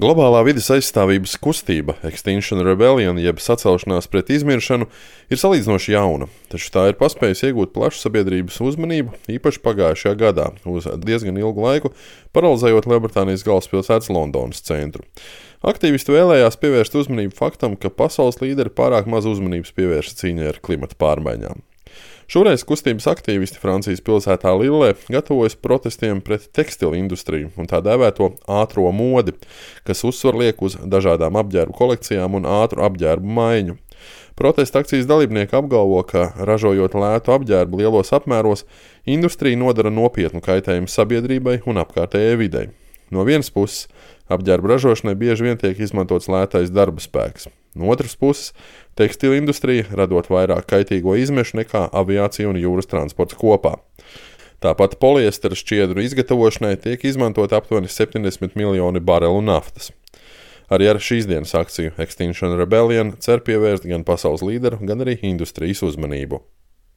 Globālā vides aizstāvības kustība Extinction Rebellion, jeb sacelšanās pret izmiršanu, ir salīdzinoši jauna, taču tā ir paspējusi iegūt plašu sabiedrības uzmanību, īpaši pagājušajā gadā, uz diezgan ilgu laiku, paralizējot Lielbritānijas galvaspilsētas Londonas centru. Aktīvisti vēlējās pievērst uzmanību faktam, ka pasaules līderi pārāk maz uzmanības pievērš cīņai ar klimata pārmaiņām. Šoreiz kustības aktīvisti Francijas pilsētā Lillē gatavojas protestiem pret tekstilu industriju un tā dēvēto ātro modi, kas uzsvar liek uz dažādām apģērbu kolekcijām un ātru apģērbu maiņu. Protesta akcijas dalībnieki apgalvo, ka, ražojot lētu apģērbu lielos apmēros, industrija nodara nopietnu kaitējumu sabiedrībai un apkārtējai videi. No vienas puses, apģērbu ražošanai bieži vien tiek izmantots lētais darba spēks. No otras puses, tekstila industrija radot vairāk kaitīgo izmešu nekā aviācija un jūras transports kopā. Tāpat poliestera šķiedru izgatavošanai tiek izmantot aptuveni 70 miljoni barelu naftas. Arī ar šīs dienas akciju Extinction Rebellion cer pievērst gan pasaules līderu, gan arī industrijas uzmanību.